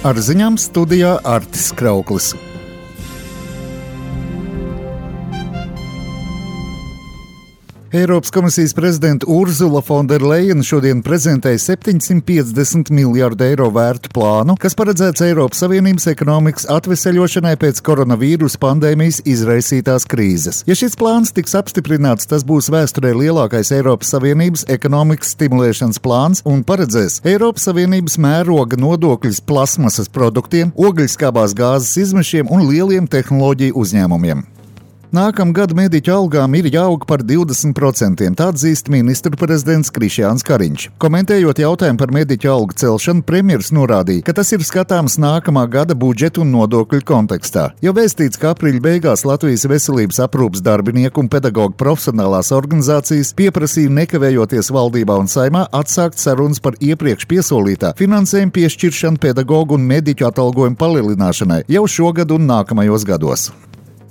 Ar ziņām studijā Artis Krauklis. Eiropas komisijas prezidenta Urzula Fonderlejena šodien prezentēja 750 miljārdu eiro vērtu plānu, kas paredzēts Eiropas Savienības ekonomikas atveseļošanai pēc koronavīrusa pandēmijas izraisītās krīzes. Ja šis plāns tiks apstiprināts, tas būs vēsturē lielākais Eiropas Savienības ekonomikas stimulēšanas plāns un paredzēs Eiropas Savienības mēroga nodokļus plasmasas produktiem, ogļskābās gāzes izmešiem un lieliem tehnoloģiju uzņēmumiem. Nākamgad mediķu algām ir jāaug par 20%, tā atzīst ministru prezidents Krišjāns Kariņš. Komentējot jautājumu par mediķu algu celšanu, premjers norādīja, ka tas ir skatāms nākamā gada budžeta un nodokļu kontekstā. Jau vēstīts, ka aprīļa beigās Latvijas veselības aprūpes darbinieku un pedagoģu profesionālās organizācijas pieprasīja nekavējoties valdībā un Saimā atsākt sarunas par iepriekš piesolītā finansējuma piešķiršanu pedagoģu un mediķu atalgojumu palielināšanai jau šogad un nākamajos gados.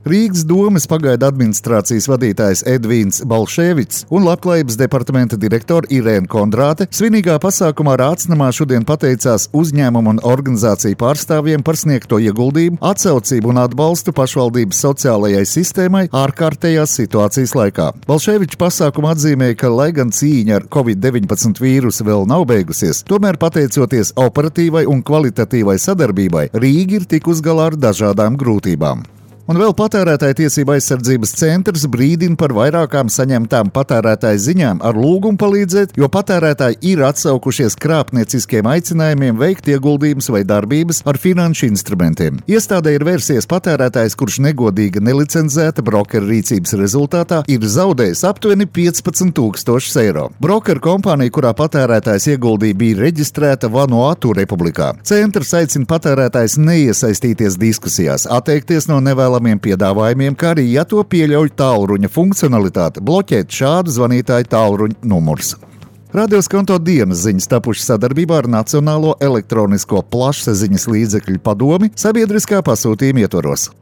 Rīgas domes pagaidu administrācijas vadītājs Edvīns Balšēvits un Labklājības departamenta direktore Irēna Kondrāte svinīgā pasākumā Rācnamā šodien pateicās uzņēmumu un organizāciju pārstāvjiem par sniegto ieguldījumu, atsaucību un atbalstu pašvaldības sociālajai sistēmai ārkārtējās situācijas laikā. Balšēvičs pasākumu atzīmēja, ka, lai gan cīņa ar Covid-19 vīrusu vēl nav beigusies, tomēr pateicoties operatīvai un kvalitatīvai sadarbībai, Rīga ir tikus galā ar dažādām grūtībām. Un vēl patērētāju tiesību aizsardzības centrs brīdina par vairākām saņemtām patērētāju ziņām ar lūgumu palīdzēt, jo patērētāji ir atsaukušies krāpnieciskiem aicinājumiem veikt ieguldījumus vai darbības ar finanšu instrumentiem. Iestādē ir vērsies patērētājs, kurš negodīga nelicenzēta brokera rīcības rezultātā ir zaudējis aptuveni 15,000 eiro. Brokera kompānija, kurā patērētājs ieguldīja, bija reģistrēta Vanuatu republikā. Centrs aicina patērētājs neiesaistīties diskusijās, atteikties no nevēlamiem piedāvājumiem, kā arī, ja to pieļauj tālruņa funkcionalitāte, bloķēt šādu zvanītāju tālruņa numurs. Radioskonto dienas ziņas tapušas sadarbībā ar Nacionālo elektronisko plašsaziņas līdzekļu padomi sabiedriskā pasūtījuma ietvaros.